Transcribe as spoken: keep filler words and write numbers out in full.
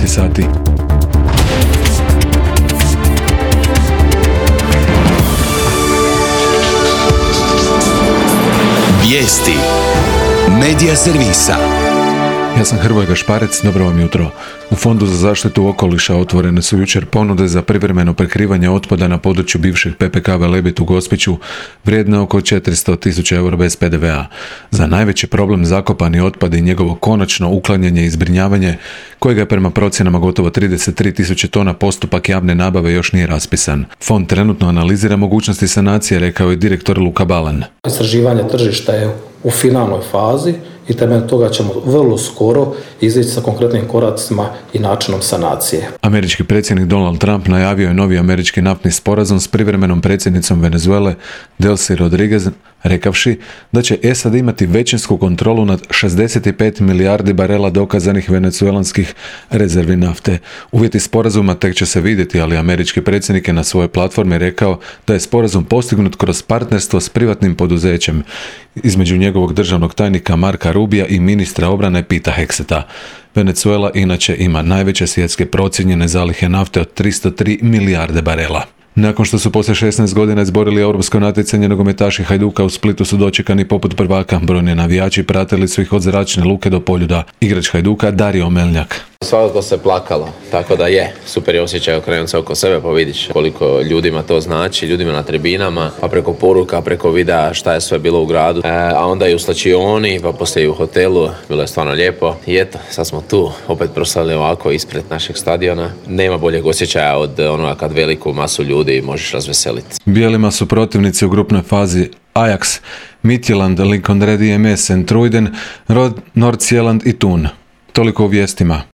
sati. Vijesti Medija servisa. Ja sam Hrvoje Gašparec, dobro vam jutro. U Fondu za zaštitu okoliša otvorene su jučer ponude za privremeno prekrivanje otpada na području bivšeg P P K Velebit u Gospiću, vrijedne oko četiristo tisuća eura bez P D V a. Za najveći problem zakopani otpad i njegovo konačno uklanjanje i zbrinjavanje, kojega je prema procjenama gotovo trideset tri tisuće tona, postupak javne nabave još nije raspisan. Fond trenutno analizira mogućnosti sanacije, rekao je direktor Luka Balan. Istraživanje tržišta je u finalnoj fazi i temeljem toga ćemo vrlo skoro izaći sa konkretnim koracima i načinom sanacije. Američki predsjednik Donald Trump najavio je novi američki naftni sporazum s privremenom predsjednicom Venezuele Delcy Rodriguez, rekavši da će S A D imati većinsku kontrolu nad šezdeset pet milijardi barela dokazanih venezuelanskih rezervi nafte. Uvjeti sporazuma tek će se vidjeti, ali američki predsjednik je na svojoj platformi rekao da je sporazum postignut kroz partnerstvo s privatnim poduzećem između njegovog državnog tajnika Marka Rubija i ministra obrane Pita Hegseta. Venezuela inače ima najveće svjetske procijenjene zalihe nafte od tristo tri milijarde barela. Nakon što su poslije šesnaest godina izborili europsko natjecanje, nogometaši Hajduka u Splitu su dočekani poput prvaka. Brojni navijači pratili su ih od zračne luke do Poljuda. Igrač Hajduka Dario Meljak. Svakako se plakalo, tako da je super je osjećaj okrenuti se oko sebe pa vidiš koliko ljudima to znači, ljudima na tribinama, pa preko poruka, preko videa šta je sve bilo u gradu, e, a onda i u slačioni, pa poslije i u hotelu, bilo je stvarno lijepo i eto, sad smo tu, opet proslavili ovako ispred našeg stadiona. Nema boljeg osjećaja od onoga kad veliku masu ljudi možeš razveseliti. Bijelima su protivnici u grupnoj fazi Ajax, Midtjylland, Lincoln Red I M S, Centruiden, Nordsjælland i Thun. Toliko u vijestima.